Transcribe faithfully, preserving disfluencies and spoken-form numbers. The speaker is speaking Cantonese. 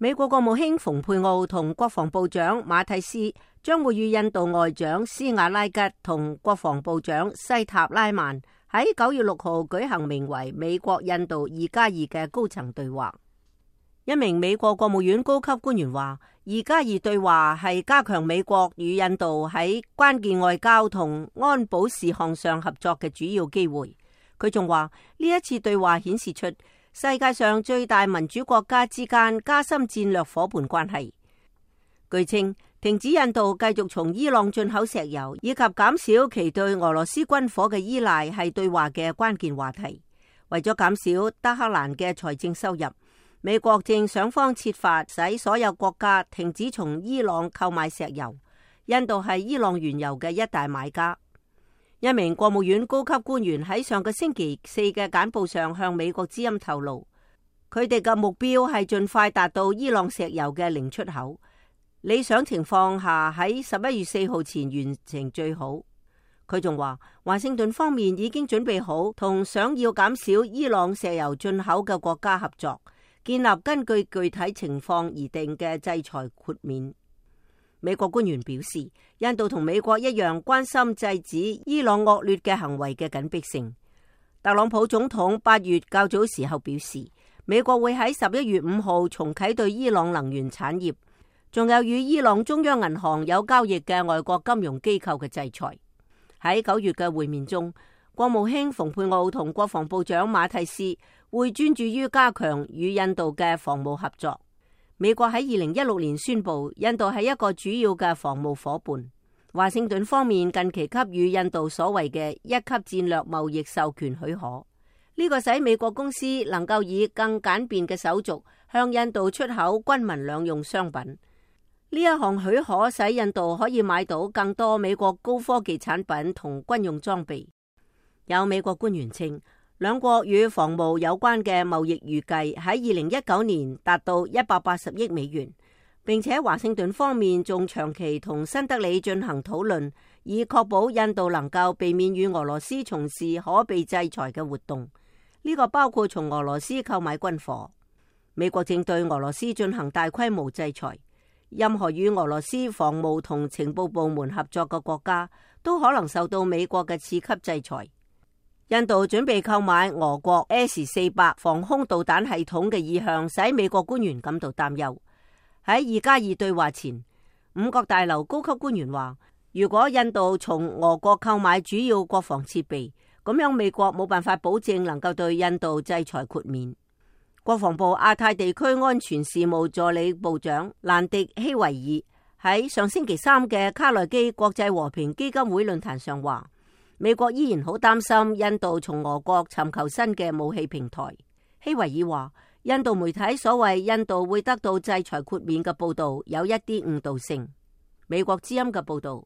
美國國務卿蓬佩奧同國防部長馬蒂斯將會與印度外長斯瓦拉吉同國防部長西塔拉曼喺九月六號舉行名為美國印度二加二嘅高層對話。一名美國國務院高級官員話，二加二對話係加強美國與印度喺關鍵外交同安保事項上合作嘅主要機會。佢仲話，呢一次對話顯示出世界上最大民主國家之間加深戰略夥伴關係。據稱，停止印度繼續從伊朗進口石油，以及減少其對俄羅斯軍火嘅依賴係對話嘅關鍵話題。為咗減少德黑蘭嘅財政收入，美國正想方設法使所有國家停止從伊朗購買石油。印度係伊朗原油嘅一大買家。一名國務院高級官員喺上個星期四嘅簡報上向美國之音透露，佢哋嘅目標係盡快達到伊朗石油嘅零出口，理想情況下喺十一月四號前完成最好。佢仲話，華盛頓方面已經準備好同想要減少伊朗石油進口嘅國家合作，建立根據具體情況而定嘅制裁豁免。美國官員表示，印度同美國一樣關心制止伊朗惡劣嘅行為嘅緊迫性。特朗普總統八月較早時候表示，美國會喺十一月五號重啟對伊朗能源產業，仲有與伊朗中央銀行有交易嘅外國金融機構嘅制裁。喺九月嘅會面中，國務卿蓬佩奧同國防部長馬蒂斯會專注於加強與印度嘅防務合作。美國喺二零一六年宣布，印度係一個主要嘅防務夥伴。華盛頓方面近期給予印度所謂嘅一級戰略貿易授權許可，呢個使美國公司能夠以更簡便嘅手續向印度出口軍民兩用商品。呢一項許可使印度可以買到更多美國高科技產品同軍用裝備。有美國官員稱，兩國與防務有關嘅貿易預計喺二零一九年達到一百八十億美元，並且華盛頓方面仲長期同新德里進行討論，以確保印度能夠避免與俄羅斯從事可被制裁嘅活動。呢個包括從俄羅斯購買軍火。美國正對俄羅斯進行大規模制裁，任何與俄羅斯防務同情報部門合作嘅國家都可能受到美國嘅次級制裁。印度準備購買俄國 S 四百防空導彈系統嘅意向，使美國官員感到擔憂。喺二加二對話前，五角大樓高級官員話，如果印度從俄國購買主要國防設備，咁樣美國冇辦法保證能夠對印度制裁豁免。國防部亞太地區安全事務助理部長蘭迪希維爾喺上星期三嘅卡內基國際和平基金會論壇上話，美國依然好擔心印度從俄國尋求新嘅武器平台。希維爾話，印度媒體所謂印度會得到制裁豁免嘅報道有一啲誤導性。美國之音嘅報道。